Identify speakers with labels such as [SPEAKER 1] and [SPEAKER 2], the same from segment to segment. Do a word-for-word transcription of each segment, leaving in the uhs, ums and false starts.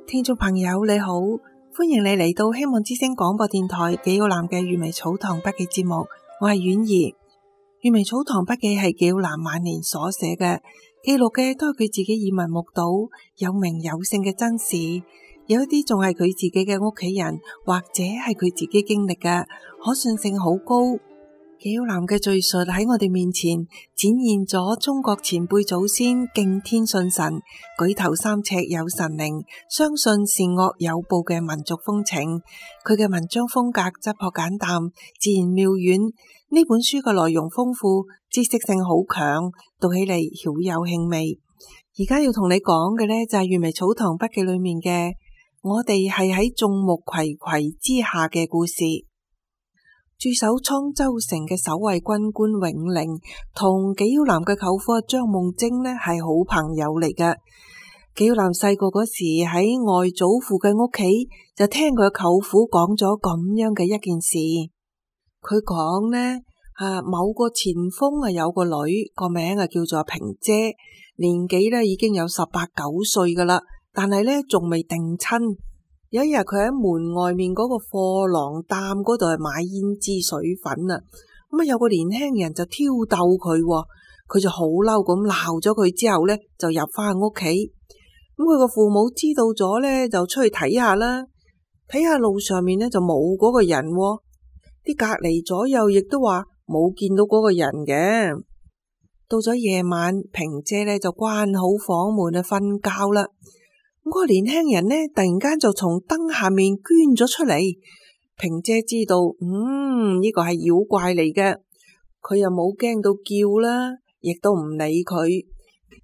[SPEAKER 1] 聽眾朋友你好，歡迎你嚟到希望之聲廣播電台紀曉嵐嘅閱微草堂筆記節目，我係婉兒。閱微草堂筆記係紀曉嵐晚年所寫嘅，記錄嘅都係佢自己耳聞目睹有名有姓嘅真事，有一啲仲係佢自己嘅屋企人或者係佢自己經歷嘅，可信性好高。紀曉嵐嘅敘述喺我哋面前展現咗中國前輩祖先敬天信神、舉頭三尺有神靈、相信善惡有報嘅民族風情。佢嘅文章風格質樸簡淡、自然妙遠。呢本書嘅內容豐富，知識性好強，讀起嚟曉有興味。而家要同你講嘅呢，就係閱微草堂筆記裏面嘅我哋係喺眾目睽睽之下嘅故事。駐守滄州城嘅守衛軍官永齡同紀曉嵐嘅舅父張夢貞呢係好朋友嚟嘅。紀曉嵐細個嗰時喺外祖父嘅屋企就聽佢舅父講咗咁樣嘅一件事。佢講呢啊，某個前鋒啊有個女，個名啊叫做平姐，年紀呢已經有十八九歲噶啦，但係呢仲未定親。有一日佢喺門外面嗰個貨郎擔嗰度係買胭脂水粉啊，咁啊有個年輕人就挑逗佢，佢就好嬲咁鬧咗佢之後呢，就入翻屋企。咁佢個父母知道咗呢，就出去睇下啦，睇下路上面呢就冇嗰個人，啲隔籬左右亦都話冇見到嗰個人嘅。到咗夜晚，平姐呢就關好房門去瞓覺啦。嗰個年輕人呢，突然間就從燈下面捐咗出嚟。平姐知道，嗯，呢個係妖怪嚟嘅，佢又冇驚到叫啦，亦都唔理佢，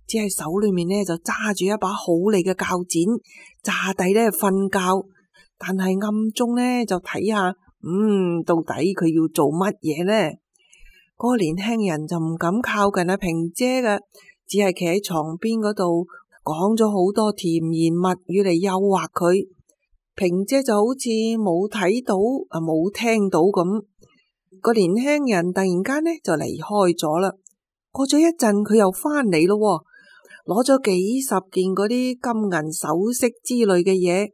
[SPEAKER 1] 只係手裏面呢就揸住一把好利嘅鉸剪，詐諦呢瞓覺，但係暗中呢就睇下，嗯，到底佢要做乜嘢呢？嗰個年輕人就唔敢靠近阿平姐嘅，只係企喺床邊嗰度。講咗好多甜言蜜語嚟誘惑佢，平姐就好似冇睇到啊冇聽到咁。個年輕人突然間呢就離開咗啦。過咗一陣佢又翻嚟咯，攞咗幾十件嗰啲金銀首飾之類嘅嘢，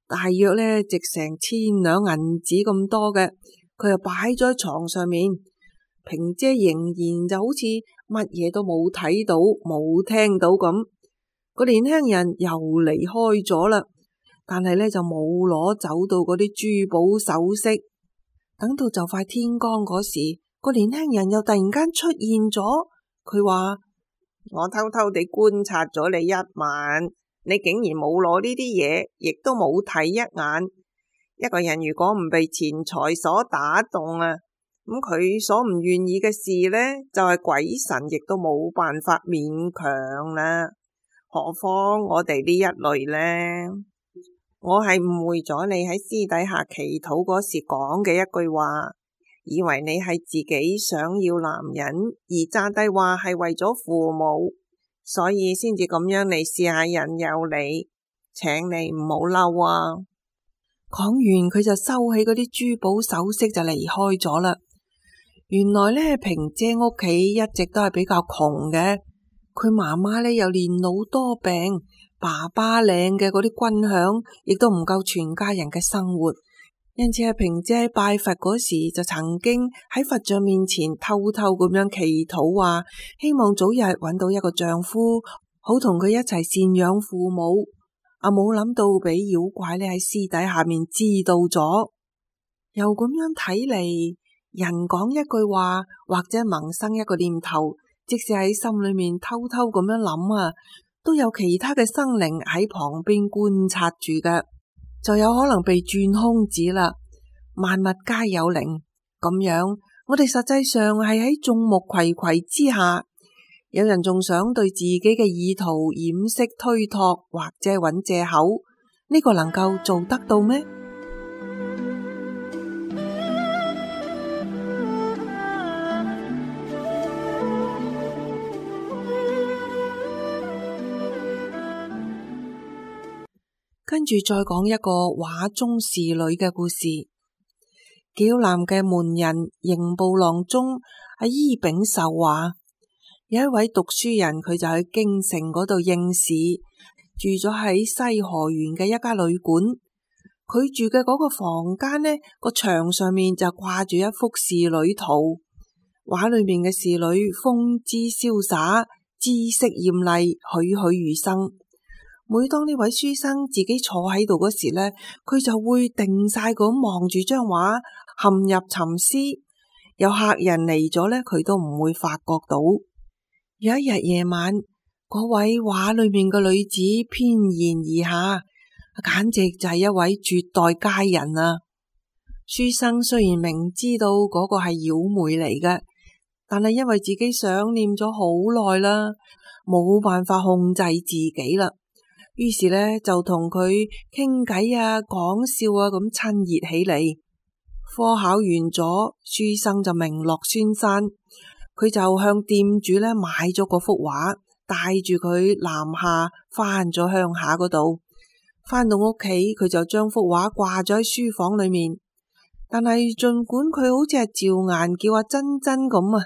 [SPEAKER 1] 大約呢值成千兩銀紙咁多嘅，佢又擺咗喺床上面。平姐仍然就好似乜嘢都冇睇到冇聽到咁。個年輕人又離開咗啦，但係呢就冇攞走到嗰啲珠寶首飾。等到就快天光嗰時，個年輕人又突然間出現咗。佢話：我偷偷地觀察咗你一晚，你竟然冇攞呢啲嘢，亦都冇睇一眼。一個人如果唔被錢財所打動啊，咁佢所唔願意嘅事呢，就係鬼神亦都冇辦法勉強啦。何況我哋呢一類呢？我係誤會咗你喺私底下祈禱嗰時講嘅一句話，以為你係自己想要男人，而詐諦話係為咗父母，所以先至咁樣嚟試下引誘你，請你唔好嬲啊！講完佢就收起嗰啲珠寶首飾就離開咗啦。原來呢，平姐屋企一直都係比較窮嘅。佢媽媽呢又年老多病，爸爸領嘅嗰啲軍餉亦都唔夠全家人嘅生活，因此阿平姐喺拜佛嗰時就曾經喺佛像面前偷偷咁樣祈禱，話希望早日揾到一個丈夫，好同佢一齊贍養父母。阿冇諗到俾妖怪呢喺私底下面知道咗，又咁樣睇嚟，人講一句話或者萌生一個念頭，即使喺心裏面偷偷咁樣諗啊，都有其他嘅生靈喺旁邊觀察住嘅，就有可能被轉空子啦。萬物皆有靈，咁樣我哋實際上係喺眾目睽睽之下，有人仲想對自己嘅意圖掩飾推託或者揾借口，呢個能夠做得到咩？跟住再講一個畫中侍女嘅故事。紀曉嵐嘅門人刑部郎中阿伊秉壽話，有一位讀書人，佢就喺京城嗰度應試，住咗喺西河園嘅一家旅館。佢住嘅嗰個房間呢，個牆上面就掛住一幅仕女圖，畫裏面嘅仕女風姿瀟灑，姿色艷麗，栩栩如生。每當呢位書生自己坐喺度嗰時呢，佢就會定晒咁望住張畫，陷入沉思。有客人嚟咗呢，佢都唔會發覺到。有一日夜晚，嗰位畫裏面嘅女子翩然而下，簡直就係一位絕代佳人啊！書生雖然明知道嗰個係妖媚嚟嘅，但係因為自己想念咗好耐啦，冇辦法控制自己啦。於是呢，就同佢傾偈啊，講笑啊，咁親熱起嚟。科考完咗，書生就名落孫山，佢就向店主呢買咗嗰幅畫，帶住佢南下翻咗鄉下嗰度。翻到屋企，佢就將幅畫掛咗喺書房裏面。但係盡管佢好似係趙顏叫阿珍珍咁啊，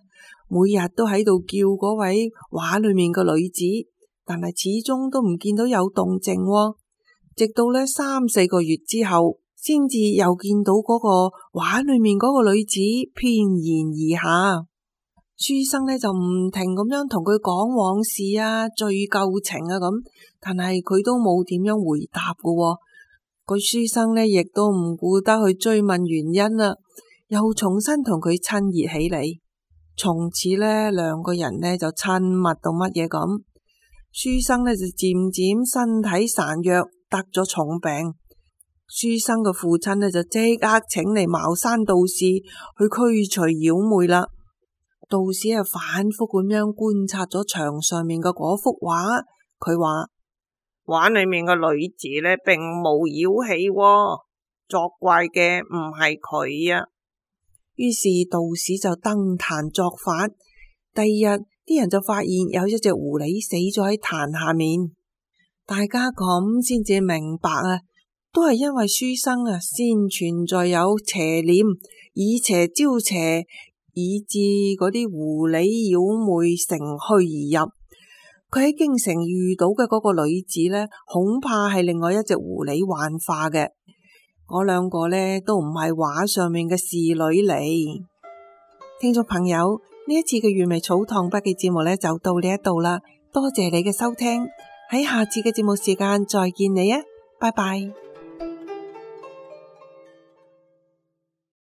[SPEAKER 1] 每日都喺度叫嗰位畫裏面嘅女子，但係始終都唔見到有動靜喎。直到呢三四個月之後，先至又見到嗰個畫裏面嗰個女子翩然而下。書生呢就唔停咁樣同佢講往事啊，敘舊情啊咁，但係佢都冇點樣回答㗎喎。個書生呢亦都唔顧得去追問原因啦，又重新同佢親熱起嚟。從此呢兩個人呢就親密到乜嘢咁。書生呢就漸漸身體孱弱，得咗重病。書生嘅父親呢就即刻請嚟茅山道士去驅除妖魅啦。道士係反覆咁樣觀察咗牆上面嘅嗰幅畫，佢話畫裏面嘅女子呢並冇妖氣喎，作怪嘅唔係佢啊。於是道士就登壇作法。第二日啲人就發現有一隻狐狸死咗喺壇下面，大家咁先至明白啊，都係因為書生啊先存在有邪念，以邪招邪，以致嗰啲狐狸妖魅乘虛而入。佢喺京城遇到嘅嗰個女子呢，恐怕係另外一隻狐狸幻化嘅。嗰兩個呢都唔係畫上面嘅仕女嚟。聽眾朋友，呢一次嘅粵微草堂筆記節目呢就到呢一度啦，多謝你嘅收聽，喺下次嘅節目時間再見你啊，拜拜。